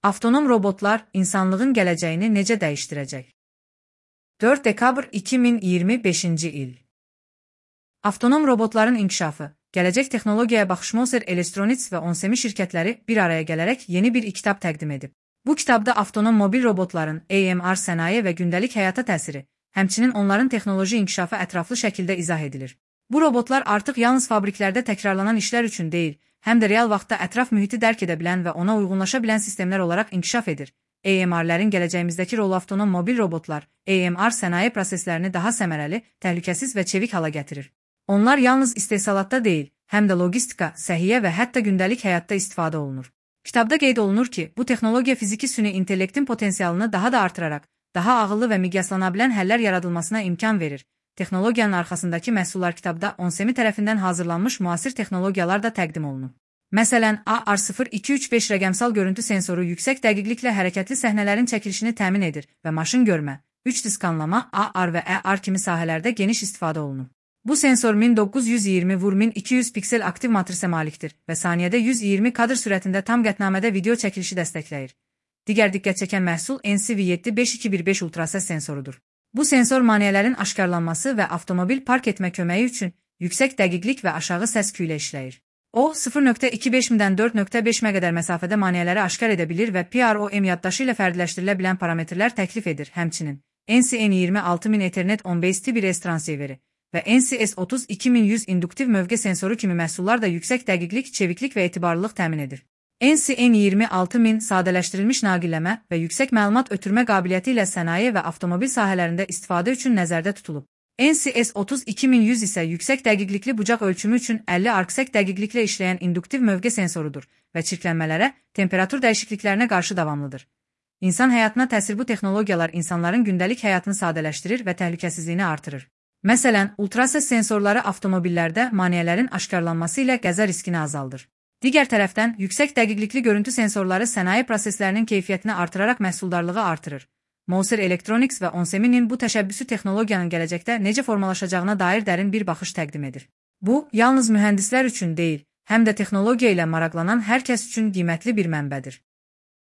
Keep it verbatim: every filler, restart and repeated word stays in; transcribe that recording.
Avtonom robotlar insanlığın gələcəyini necə dəyişdirəcək? dörd dekabr iki min iyirmi beşinci il. Avtonom robotların inkişafı, gələcək texnologiyaya baxış Moser Electronics və Onsemi şirkətləri bir araya gələrək yeni bir kitab təqdim edib. Bu kitabda avtonom mobil robotların A M R sənaye və gündəlik həyata təsiri, həmçinin onların texnoloji inkişafı ətraflı şəkildə izah edilir. Bu robotlar artıq yalnız fabriklərdə təkrarlanan işlər üçün deyil, həm də real vaxtda ətraf mühiti dərk edə bilən və ona uyğunlaşa bilən sistemlər olaraq inkişaf edir. A M R-lərin gələcəyimizdəki rolu avtonom mobil robotlar, A M R sənaye proseslərini daha səmərəli, təhlükəsiz və çevik hala gətirir. Onlar yalnız istehsalatda deyil, həm də logistika, səhiyyə və hətta gündəlik həyatda istifadə olunur. Kitabda qeyd olunur ki, bu texnologiya fiziki süni intellektin potensialını daha da artıraraq, daha ağıllı və miqyaslana bilən həllər yaradılmasına imkan verir. Texnologiyanın arxasındakı məhsullar kitabda Onsemi tərəfindən hazırlanmış müasir texnologiyalar da təqdim olunub. Məsələn, A R sıfır iki üç beş rəqəmsal görüntü sensoru yüksək dəqiqliklə hərəkətli səhnələrin çəkilişini təmin edir və maşın görmə, üç D skanlama, A R və E R kimi sahələrdə geniş istifadə olunur. Bu sensor min doqquz yüz iyirmi vur min iki yüz piksel aktiv matrisə malikdir və saniyədə yüz iyirmi kadr sürətində tam qətnamədə video çəkilişi dəstəkləyir. Digər diqqət çəkən məhsul N C V yeddi beş iki bir beş ultrasəs sensorudur. Bu sensor maneələrin aşkarlanması və avtomobil park etmə köməyi üçün yüksək dəqiqlik və aşağı səs küyü ilə işləyir. O, sıfır nöqtə iki beş mildən dörd nöqtə beş milyə qədər məsafədə maneələri aşkar edə bilir və P R O M yaddaşı ilə fərdiləşdirilə bilən parametrlər təklif edir. Həmçinin, N C N iyirmi altı min Ethernet on beş T bir S transiveri və N C S otuz iki min yüz induktiv mövqe sensoru kimi məhsullar da yüksək dəqiqlik, çeviklik və etibarlılıq təmin edir. N C N iyirmi altı min sadələşdirilmiş naqilləmə və yüksək məlumat ötürmə qabiliyyəti ilə sənaye və avtomobil sahələrində istifadə üçün nəzərdə tutulub. N C S otuz iki min yüz isə yüksək dəqiqlikli bucaq ölçümü üçün əlli arksək dəqiqliklə işləyən induktiv mövqe sensorudur və çirklənmələrə, temperatur dəyişikliklərinə qarşı davamlıdır. İnsan həyatına təsir bu texnologiyalar insanların gündəlik həyatını sadələşdirir və təhlükəsizliyini artırır. Məsələn, ultrasəs sensorları avtomobillərdə maneələrin aşkarlanması ilə qəza riskini azaldır. Digər tərəfdən, yüksək dəqiqlikli görüntü sensorları sənaye proseslərinin keyfiyyətini artıraraq məhsuldarlığı artırır. Moser Electronics və Onsemi'nin bu təşəbbüsü texnologiyanın gələcəkdə necə formalaşacağına dair dərin bir baxış təqdim edir. Bu, yalnız mühəndislər üçün deyil, həm də texnologiya ilə maraqlanan hər kəs üçün qiymətli bir mənbədir.